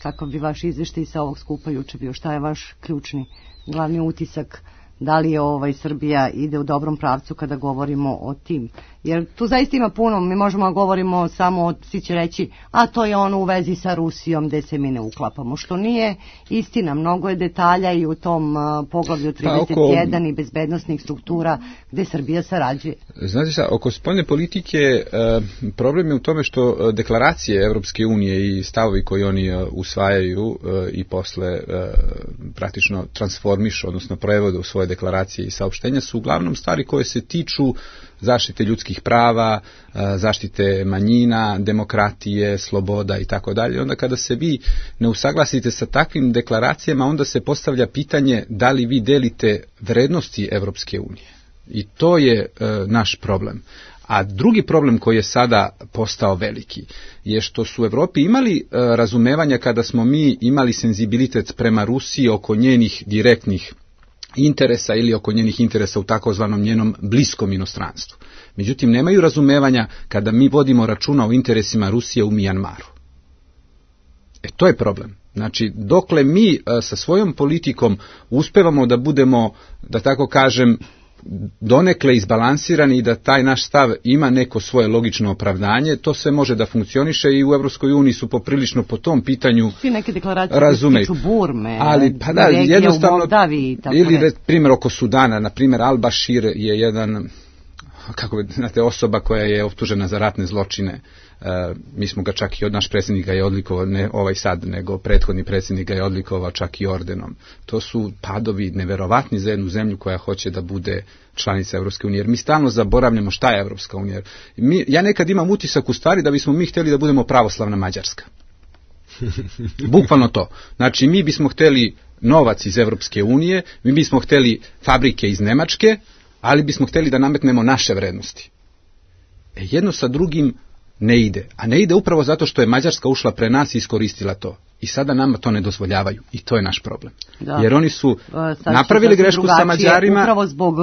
kakav bi vaš izveštaj sa ovog skupa juče bio? Šta je vaš ključni, glavni utisak? Da li je ovaj Srbija ide u dobrom pravcu kada govorimo o tim? Jer tu zaista ima puno, mi možemo da govorimo samo, svi će reći, a to je ono u vezi sa Rusijom gde se mi ne uklapamo, što nije istina. Mnogo je detalja i u tom uh, poglavlju trideset jedan pa oko... i bezbednostnih struktura gde Srbija sarađuje. Znate šta, oko spoljne politike uh, problem je u tome što deklaracije Evropske unije i stavovi koji oni uh, usvajaju uh, i posle uh, praktično transformišu, odnosno prevode u svoje deklaracije i saopštenja su uglavnom stvari koje se tiču zaštite ljudskih prava, zaštite manjina, demokratije, sloboda i tako dalje. Onda kada se vi ne usaglasite sa takvim deklaracijama, onda se postavlja pitanje da li vi delite vrednosti Evropske unije. I to je e, naš problem. A drugi problem koji je sada postao veliki je što su u Evropi imali e, razumevanja kada smo mi imali senzibilitet prema Rusiji oko njenih direktnih interesa ili oko njenih interesa u takozvanom njenom bliskom inostranstvu. Međutim, nemaju razumevanja kada mi vodimo računa o interesima Rusije u Mijanmaru. E, to je problem. Znači, dokle mi a, sa svojom politikom uspevamo da budemo, da tako kažem, donekle izbalansirani i da taj naš stav ima neko svoje logično opravdanje, to sve može da funkcioniše i u Evropskoj uniji su poprilično po tom pitanju razumeju. Burme, ali pa da, jednostavno, ili re, primjer oko Sudana, na primjer Al-Bashir je jedan, kako bi, znate, osoba koja je optužena za ratne zločine. Uh, mi smo ga čak i od naš predsjednik ga je odlikovao, ne ovaj sad, nego prethodni predsjednik ga je odlikovao čak i ordenom. To su padovi neverovatni za jednu zemlju koja hoće da bude članica Evropske unije. Jer mi stalno zaboravljamo šta je Evropska unija. Mi, ja nekad imam utisak u stvari da bismo mi htjeli da budemo pravoslavna Mađarska. Bukvalno to. Znači, mi bismo htjeli novac iz Evropske unije, mi bismo htjeli fabrike iz Nemačke, ali bismo htjeli da nametnemo naše vrednosti. E, jedno sa drugim ne ide. A ne ide upravo zato što je Mađarska ušla pre nas i iskoristila to. I sada nama to ne dozvoljavaju. I to je naš problem. Da. Jer oni su Sad napravili grešku sa Mađarima. Upravo zbog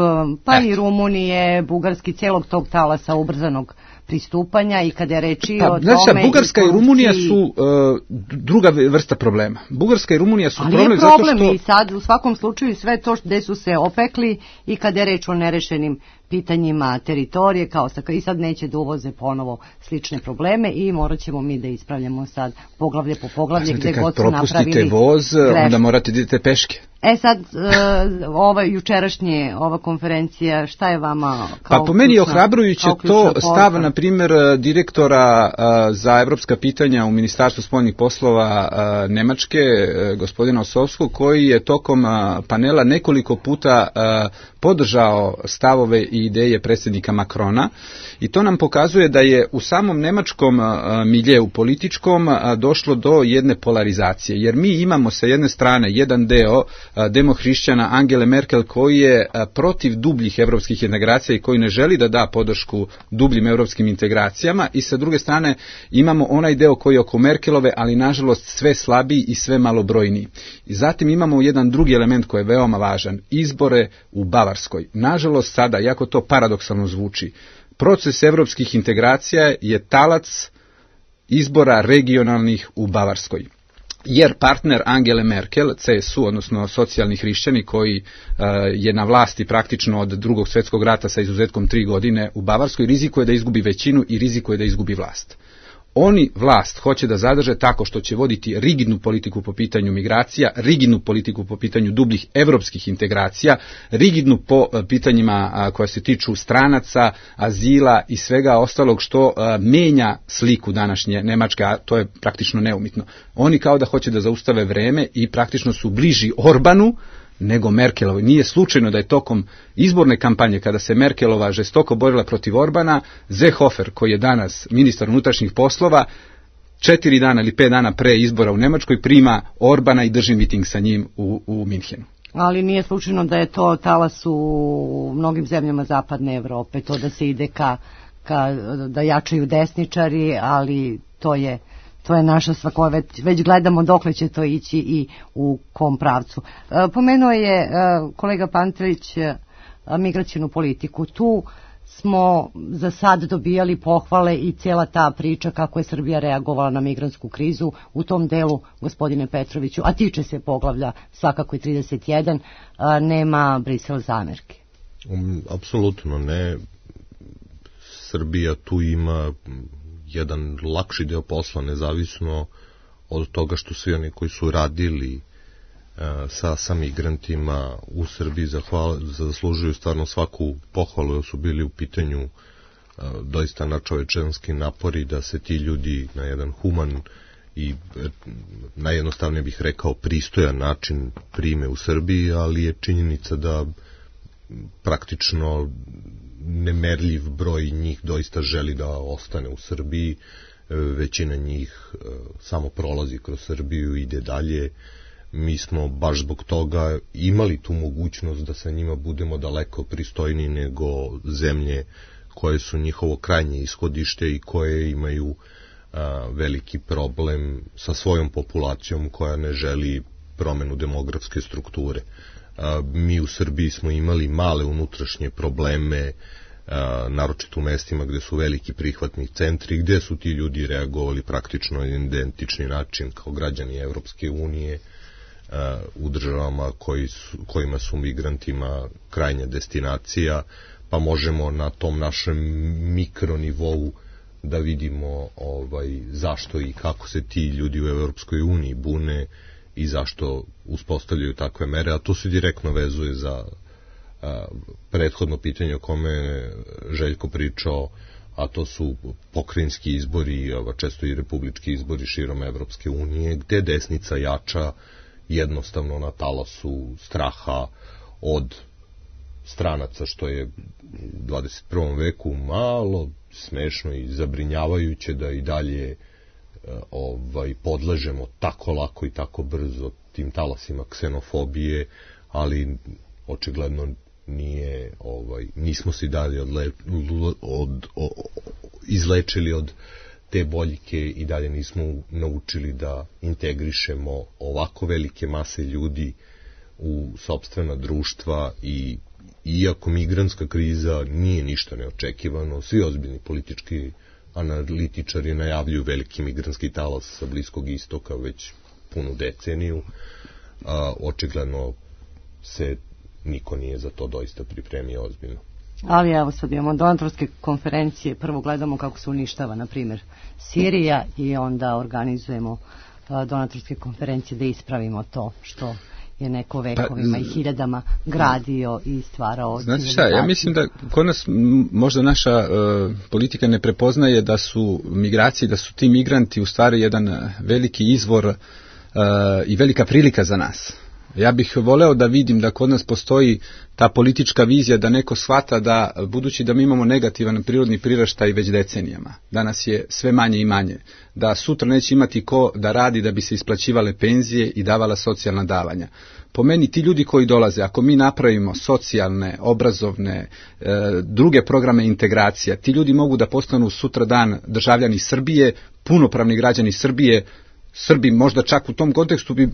pa e. i Rumunije, Bugarski, celog tog talasa ubrzanog pristupanja i kada je reči pa, o tome... Znači, Bugarska i, i Rumunija su uh, druga vrsta problema. Bugarska i Rumunija su ali problem, problem zato što... i sad u svakom slučaju sve to gde su se opekli i kada je reč o nerešenim pitanjima teritorije, kao sa, i sad neće da uvoze ponovo slične probleme i morat ćemo mi da ispravljamo sad poglavlje po poglavlje gde god su napravili... Kad propustite voz, greške. Onda morate da idete peške. E sad, uh, ova jučerašnje, ova konferencija, šta je vama kao Pa po meni je ohrabrujuće to stav, na primjer, direktora uh, za evropska pitanja u Ministarstvu spoljnih poslova uh, Nemačke, uh, gospodina Osovskog, koji je tokom uh, panela nekoliko puta uh, podržao stavove i ideje predsjednika Macrona i to nam pokazuje da je u samom nemačkom uh, miljeu političkom uh, došlo do jedne polarizacije, jer mi imamo sa jedne strane jedan deo demohrišćana Angele Merkel koji je protiv dubljih evropskih integracija i koji ne želi da da podršku dubljim evropskim integracijama i sa druge strane imamo onaj deo koji je oko Merkelove, ali nažalost sve slabiji i sve malobrojniji. I zatim imamo jedan drugi element koji je veoma važan, izbore u Bavarskoj. Nažalost sada, jako to paradoksalno zvuči, proces evropskih integracija je talac izbora regionalnih u Bavarskoj. Jer partner Angele Merkel, C S U, odnosno socijalni hrišćani koji uh, je na vlasti praktično od drugog svjetskog rata sa izuzetkom tri godine u Bavarskoj, rizikuje da izgubi većinu i rizikuje da izgubi vlast. Oni vlast hoće da zadrže tako što će voditi rigidnu politiku po pitanju migracija, rigidnu politiku po pitanju dubljih evropskih integracija, rigidnu po pitanjima koja se tiču stranaca, azila i svega ostalog što menja sliku današnje Nemačke, a to je praktično neumitno. Oni kao da hoće da zaustave vreme i praktično su bliži Orbanu nego Merkelovoj. Nije slučajno da je tokom izborne kampanje, kada se Merkelova žestoko borila protiv Orbana, Seehofer, koji je danas ministar unutrašnjih poslova, četiri dana ili pet dana pre izbora u Nemačkoj prima Orbana i drži miting sa njim u, u Minhenu. Ali nije slučajno da je to talas u mnogim zemljama zapadne Evrope, to da se ide ka, ka da jačaju desničari, ali to je to je naša svako, već, već gledamo dokle će to ići i u kom pravcu. E, pomenuo je e, kolega Pantelić e, migracijnu politiku. Tu smo za sad dobijali pohvale i cijela ta priča kako je Srbija reagovala na migrantsku krizu u tom delu, gospodine Petroviću, a tiče se poglavlja svakako i trideset jedan, a, nema Brisel zamerke. Um, apsolutno ne. Srbija tu ima jedan lakši deo posla, nezavisno od toga što svi oni koji su radili sa, sa migrantima u Srbiji zahval, zaslužuju stvarno svaku pohvalu, jer su bili u pitanju a, doista načovečanski napori da se ti ljudi na jedan human i najjednostavnije bih rekao pristojan način prime u Srbiji, ali je činjenica da praktično nemerljiv broj njih doista želi da ostane u Srbiji. Većina njih samo prolazi kroz Srbiju i ide dalje. Mi smo baš zbog toga imali tu mogućnost da sa njima budemo daleko pristojniji nego zemlje koje su njihovo krajnje ishodište i koje imaju a, veliki problem sa svojom populacijom koja ne želi promenu demografske strukture. A, mi u Srbiji smo imali male unutrašnje probleme, a, naročito u mestima gde su veliki prihvatni centri, gde su ti ljudi reagovali praktično na identični način kao građani Evropske unije, u državama koji su, kojima su migrantima krajnja destinacija, pa možemo na tom našem mikronivou da vidimo ovaj, zašto i kako se ti ljudi u Evropskoj uniji bune i zašto uspostavljaju takve mere, a to se direktno vezuje za a, prethodno pitanje o kome Željko pričao, a to su pokrajinski izbori, a često i republički izbori širom Evropske unije, gde desnica jača jednostavno na talasu straha od stranaca, što je u dvadeset prvom veku malo smešno i zabrinjavajuće da i dalje ovaj, podležemo tako lako i tako brzo tim talasima ksenofobije, ali očigledno nije, ovaj, nismo se dalje odle, od, od, izlečili od te boljke i dalje nismo naučili da integrišemo ovako velike mase ljudi u sopstvena društva i iako migrantska kriza nije ništa neočekivano, svi ozbiljni politički analitičari najavljuju veliki migrantski talas sa Bliskog istoka već punu deceniju, a, očigledno se niko nije za to doista pripremio ozbiljno. Ali evo sad imamo donatorske konferencije, prvo gledamo kako se uništava, na primjer, Sirija i onda organizujemo donatorske konferencije da ispravimo to što je neko vekovima pa, i hiljadama gradio i stvarao. Znate šta, ja mislim da kod nas možda naša uh, politika ne prepoznaje da su migracije, da su ti migranti u stvari jedan veliki izvor uh, i velika prilika za nas. Ja bih voleo da vidim da kod nas postoji ta politička vizija da neko shvata da, budući da mi imamo negativan prirodni priraštaj već decenijama, danas je sve manje i manje, da sutra neće imati ko da radi da bi se isplaćivale penzije i davala socijalna davanja. Po meni ti ljudi koji dolaze, ako mi napravimo socijalne, obrazovne, e, druge programe integracija, ti ljudi mogu da postanu sutra dan državljani Srbije, punopravni građani Srbije. Srbi možda čak u tom kontekstu bi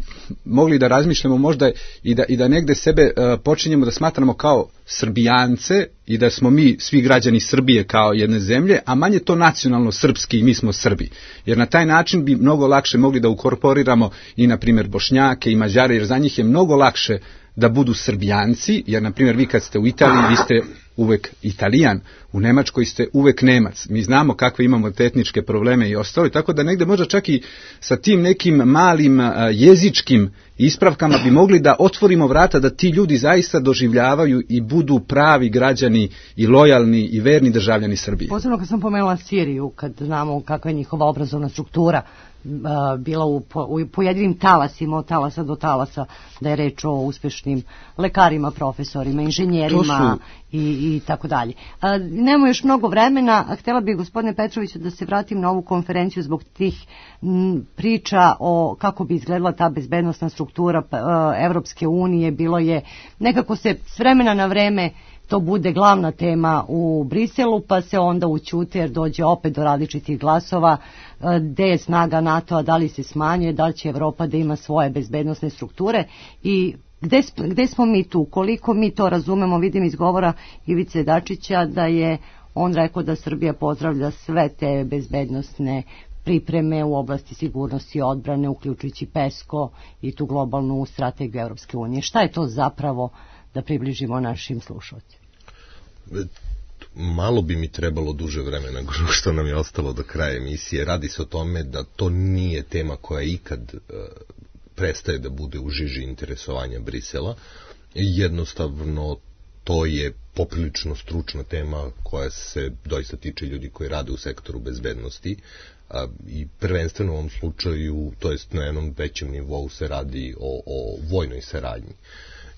mogli da razmišljamo možda i da, i da negde sebe uh, počinjemo da smatramo kao Srbijance i da smo mi svi građani Srbije kao jedne zemlje, a manje to nacionalno srpski i mi smo Srbi. Jer na taj način bi mnogo lakše mogli da ukorporiramo i na primjer Bošnjake i Mađare, jer za njih je mnogo lakše da budu Srbijanci, jer na primjer vi kad ste u Italiji, vi ste uvek Italijan, u Nemačkoj ste uvek Nemac. Mi znamo kakve imamo te etničke probleme i ostalo, tako da negde možda čak i sa tim nekim malim jezičkim ispravkama bi mogli da otvorimo vrata da ti ljudi zaista doživljavaju i budu pravi građani i lojalni i verni državljani Srbije. Posebno kad sam pomenula Siriju, kad znamo kakva je njihova obrazovna struktura, bila u, u pojedinim talasima, od talasa do talasa, da je reč o uspešnim lekarima, profesorima, inženjerima su... i, i tako dalje. Nemamo još mnogo vremena, a htjela bih, gospodine Petroviću, da se vratim na ovu konferenciju zbog tih m, priča o kako bi izgledala ta bezbednostna struktura Evropske unije. Bilo je, nekako se s vremena na vreme to bude glavna tema u Briselu, pa se onda ućute jer dođe opet do različitih glasova, gde je snaga NATO-a, da li se smanjuje, da li će Evropa da ima svoje bezbednosne strukture i gde, gde smo mi tu, koliko mi to razumemo. Vidim iz govora Ivice Dačića da je on rekao da Srbija pozdravlja sve te bezbednosne pripreme u oblasti sigurnosti i odbrane, uključujući PESCO i tu globalnu strategiju Evropske unije. Šta je to zapravo, da približimo našim slušalcima? Malo bi mi trebalo duže vremena nego što nam je ostalo do kraja emisije. Radi se o tome da to nije tema koja ikad uh, prestaje da bude u žiži interesovanja Brisela. Jednostavno, to je poprilično stručna tema koja se doista tiče ljudi koji rade u sektoru bezbednosti, a, i prvenstveno u ovom slučaju, to jest na jednom većem nivou, se radi o, o vojnoj saradnji.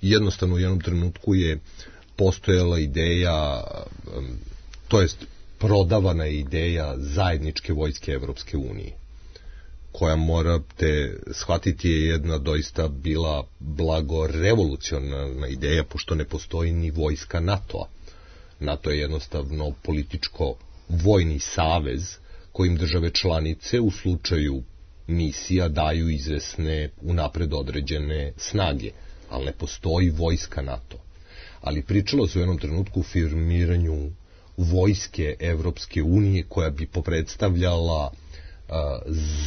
Jednostavno u jednom trenutku je postojala ideja, to jest prodavana ideja zajedničke vojske Evropske unije, koja, morate shvatiti, je jedna doista bila blago revolucionarna ideja, pošto ne postoji ni vojska NATO-a. NATO je jednostavno političko-vojni savez kojim države članice u slučaju misija daju izvesne unapred određene snage, ali ne postoji vojska NATO. Ali pričalo se u jednom trenutku o firmiranju vojske Evropske unije koja bi popredstavljala uh,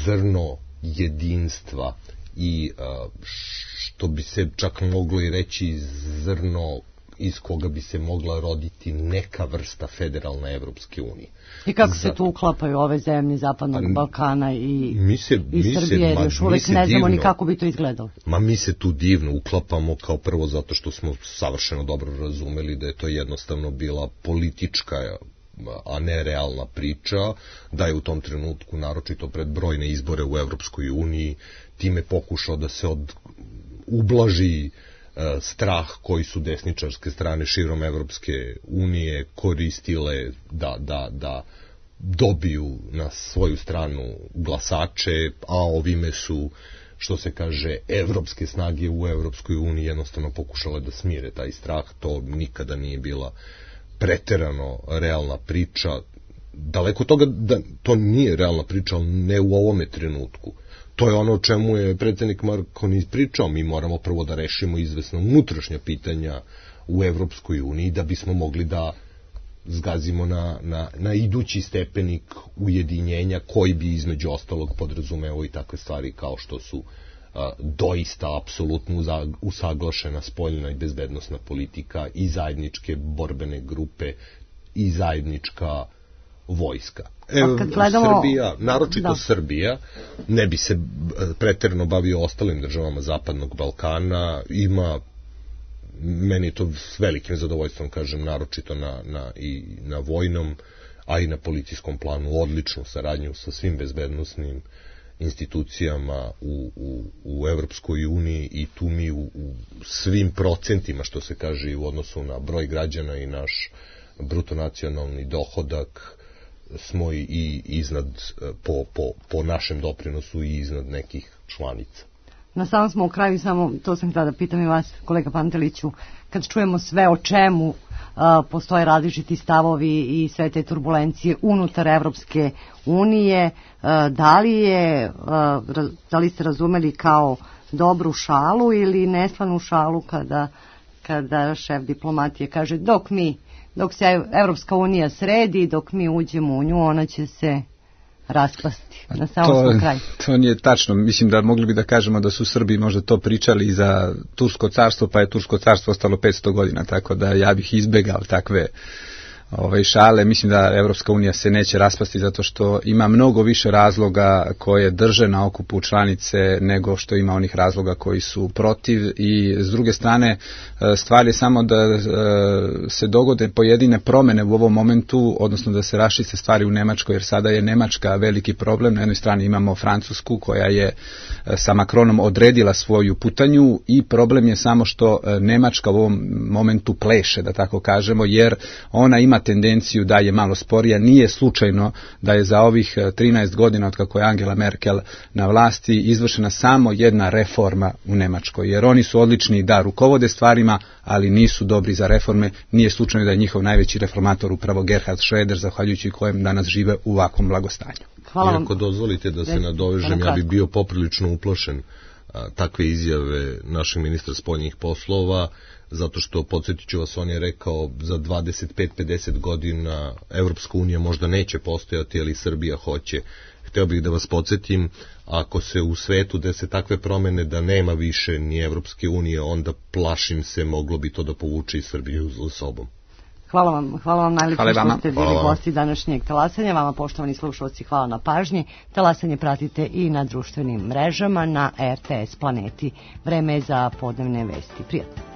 zrno jedinstva i uh, što bi se čak moglo i reći zrno iz koga bi se mogla roditi neka vrsta federalne Evropske unije. I kako se tu uklapaju ove zemlje Zapadnog Balkana i, mi se, i mi Srbije, se, još uvek ne znamo divno, ni kako bi to izgledalo. Ma mi se tu divno uklapamo, kao prvo zato što smo savršeno dobro razumeli da je to jednostavno bila politička, a ne realna priča, da je u tom trenutku, naročito pred brojne izbore u Evropskoj uniji, time pokušao da se od, ublaži strah koji su desničarske strane širom Evropske unije koristile da, da, da dobiju na svoju stranu glasače, a ovime su, što se kaže, evropske snage u Evropskoj uniji jednostavno pokušale da smire taj strah. To nikada nije bila preterano realna priča. Daleko toga da to nije realna priča, ali ne u ovome trenutku. To je ono o čemu je predsjednik Marconi pričao. Mi moramo prvo da rešimo izvesno unutrašnja pitanja u Evropskoj uniji da bismo mogli da zgazimo na, na, na idući stepenik ujedinjenja koji bi između ostalog podrazumeo i takve stvari kao što su a, doista apsolutno usaglašena spoljna i bezbednosna politika i zajedničke borbene grupe i zajednička vojska. Evo, gledamo, Srbija, naročito da. Srbija, ne bi se preterano bavio ostalim državama Zapadnog Balkana, ima, meni to s velikim zadovoljstvom kažem, naročito na, na, i na vojnom, a i na policijskom planu, odličnu saradnju sa svim bezbednosnim institucijama u, u, u Evropskoj uniji i tu mi u, u svim procentima, što se kaže, u odnosu na broj građana i naš brutonacionalni dohodak, smo i iznad, po, po, po našem doprinosu i iznad nekih članica. Na samom smo u kraju, samo to sam htjela da pitam i vas, kolega Panteliću, kad čujemo sve o čemu a, postoje različiti stavovi i sve te turbulencije unutar Evropske unije, a, da li je, a, da li ste razumeli kao dobru šalu ili neslanu šalu kada, kada šef diplomatije kaže dok mi dok se Evropska unija sredi, dok mi uđemo u nju, ona će se raspasti. Na samom kraju. To nije tačno. Mislim da mogli bi da kažemo da su Srbi možda to pričali i za Tursko carstvo, pa je Tursko carstvo ostalo petsto godina, tako da ja bih izbegao takve Ove šale. Mislim da Evropska unija se neće raspasti zato što ima mnogo više razloga koje drže na okupu članice nego što ima onih razloga koji su protiv i s druge strane stvar je samo da se dogode pojedine promene u ovom momentu, odnosno da se raščiste stvari u Nemačkoj, jer sada je Nemačka veliki problem. Na jednoj strani imamo Francusku koja je sa Macronom odredila svoju putanju i problem je samo što Nemačka u ovom momentu pleše, da tako kažemo, jer ona ima ima tendenciju da je malo sporija. Nije slučajno da je za ovih trinaest godina od kako je Angela Merkel na vlasti izvršena samo jedna reforma u Nemačkoj, jer oni su odlični da rukovode stvarima, ali nisu dobri za reforme. Nije slučajno da je njihov najveći reformator upravo Gerhard Schröder, zahvaljujući kojem danas žive u ovakvom blagostanju. Hvala vam. Iako dozvolite da se nadovežem, ja bi bio poprilično uplašen a, takve izjave našeg ministra spoljnih poslova, zato što, podsjetit ću vas, on je rekao za dvadeset pet do pedeset godina Evropska unija možda neće postojati, ali Srbija hoće. Hteo bih da vas podsjetim, ako se u svetu dese takve promene da nema više ni Evropske unije, onda plašim se moglo bi to da povuče i Srbiju za sobom. Hvala vam, hvala vam najlepše što ste bili hvala gosti današnjeg talasanja. Vama, poštovani slušalci, hvala na pažnji. Talasanje pratite i na društvenim mrežama na R T S Planeti. Vreme je za podnevne vesti. Prijatno.